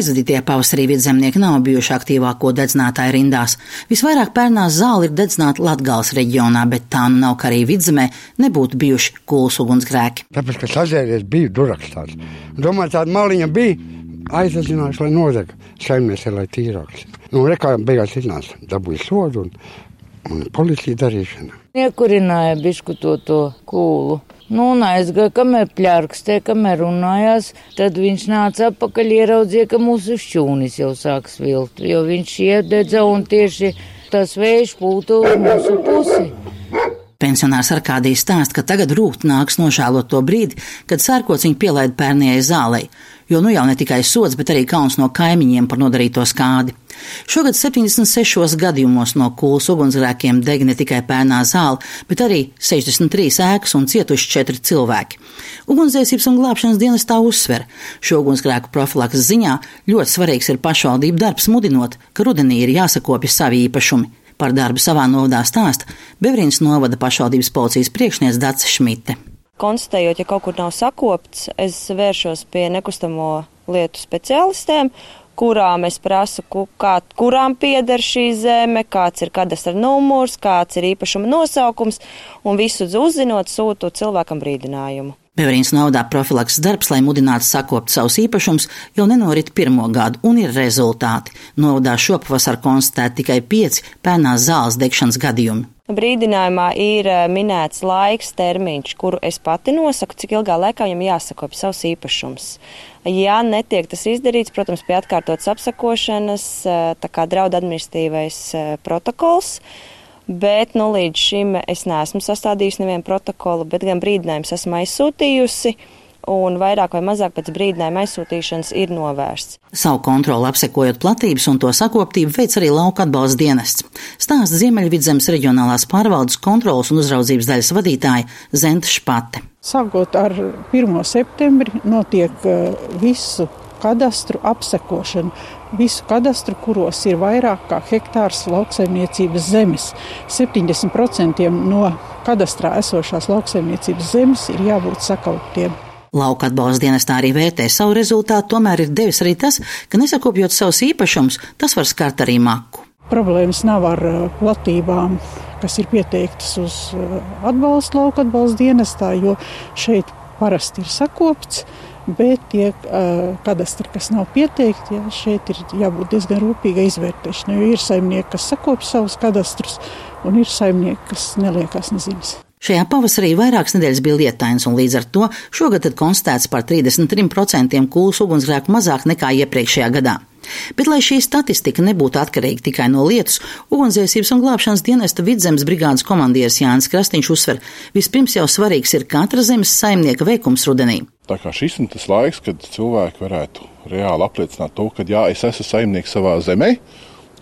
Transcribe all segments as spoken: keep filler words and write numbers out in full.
Aizvadītie pavasarī vidzemnieki nav bijuši aktīvāko dedzinātāju rindās. Visvairāk pērnās zāli ir dedzināta Latgales reģionā, bet tā nu nav, ka arī vidzemē nebūtu bijuši Kūlas ugunsgrēki. Tāpēc, ka sazēries bija durakstās. Domāju, tāda maliņa bija, aizadzinājuši, lai nodeg saimnieks, lai tīrāks. Nu, rekā beigās iznāca, dabūja sodu un, un policija darīšana. Iekurināja bišku to, to kūlu. Nu, un aizgāja, kamēr pļārkstē, kamēr runājās, tad viņš nāca atpakaļ, ieraudzīja, ka mūsu šķūnis jau sāk svilt, jo viņš iededza un tieši tas vējš pūta uz mūsu pusi. Pensionārs Arkādijs stāsta, ka tagad rūgt nāks nožēlot to brīdi, kad sērkots viņu pielaida pērnējai zālei, jo nu jau ne tikai sods, bet arī kauns no kaimiņiem par nodarīto skādi. Šogad septiņdesmit sešos gadījumos no Kūlas ugunsgrēkiem deg ne tikai pērnā zāle, bet arī sešdesmit trīs ēkas un cietuši četri cilvēki. Ugunsdzēsības un glābšanas dienestā uzsver, šo ugunsgrēku profilakses ziņā ļoti svarīgs ir pašvaldību darbs mudinot, ka rudenī ir jāsakopja savi īpašumi. Par darbu savā novadā stāsta Bevrīnas novada pašvaldības policijas priekšniece Dace Šmite. Konstatējot, ja kaut kur nav sakopts, es vēršos pie nekustamo lietu speciālistiem, kurām es prasu, kā, kurām pieder šī zeme, kāds ir kadastra numurs, kāds ir īpašuma nosaukums, un visu uzzinot sūtu cilvēkam brīdinājumu. Bevrīnas novadā profilakses darbs, lai mudinātu sakopt savus īpašumus, jau nenorit pirmo gadu, un ir rezultāti. Novadā šopavasar konstatēti tikai pieci pērnās zāles degšanas gadījumi. Brīdinājumā ir minēts laiks termiņš, kuru es pati nosaku, cik ilgā laikā viņam jāsakopja savs īpašums. Ja netiek tas izdarīts, protams, pie atkārtotas apsakošanas, tā kā draud administratīvais protokols, bet nu, līdz šim es neesmu sastādījusi nevienu protokolu, bet gan brīdinājumus esmu aizsūtījusi, un vairāk vai mazāk pēc brīdinājuma aizsūtīšanas ir novērsts. Savu kontroli apsekojot platības un to sakoptību veic arī lauka atbalsta dienests. Stāsta Ziemeļvidzemes reģionālās pārvaldes kontrolas un uzraudzības daļas vadītāja Zenta Špate. Sākot ar pirmo septembri notiek visu kadastru apsekošana. Visu kadastru, kuros ir vairāk kā hektārs lauksaimniecības zemes. septiņdesmit procenti no kadastrā esošās lauksaimniecības zemes ir jābūt sakauptiem. Lauka atbalsta dienestā arī vērtē savu rezultātu, tomēr ir devis arī tas, ka nesakopjot savus īpašumus, tas var skart arī maku. Problēmas nav ar platībām, kas ir pieteiktas uz atbalstu lauka atbalsta dienestā, jo šeit parasti ir sakopts, bet tie uh, kadastri, kas nav pieteikti, ja, šeit ir jābūt diezgan rūpīgai izvērtēšanai, jo ir saimnieki, kas sakopj savus kadastrus, un ir saimnieki, kas neliekās neziņas. Šajā pavasarī vairākas nedēļas bija lietains, un līdz ar to šogad tad konstatēts par trīsdesmit trim procentiem Kūlas ugunsgrēku mazāk nekā iepriekšējā gadā. Bet, lai šī statistika nebūtu atkarīga tikai no lietus, ugunsdzēsības un glābšanas dienesta Vidzemes brigādes komandieris Jānis Krastīņš uzsver, vispirms jau svarīgs ir katra zemes saimnieka veikums rudenī. Tā kā šis ir tas laiks, kad cilvēki varētu reāli apliecināt to, ka jā, es esmu saimnieks savā zemē,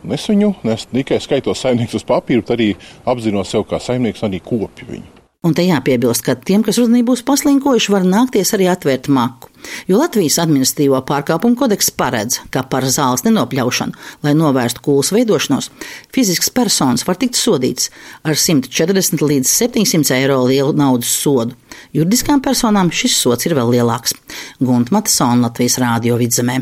un es viņu ne tikai skaitos saimnieks uz papīru, bet arī apzinos sev kā saimnieks un arī kopju viņu. Un te jāpiebilst, ka tiem, kas rudenī būs paslinkojuši, var nākties arī atvērt maku. Jo Latvijas administratīvo pārkāpumu kodeks paredz, ka par zāles nenopļaušanu, lai novērstu kūlas veidošanos, fizisks personas var tikt sodīts ar simt četrdesmit līdz septiņsimt eiro lielu naudas sodu. Juridiskām personām šis sods ir vēl lielāks. Gunta Matisona, Latvijas Rādio Vidzemē.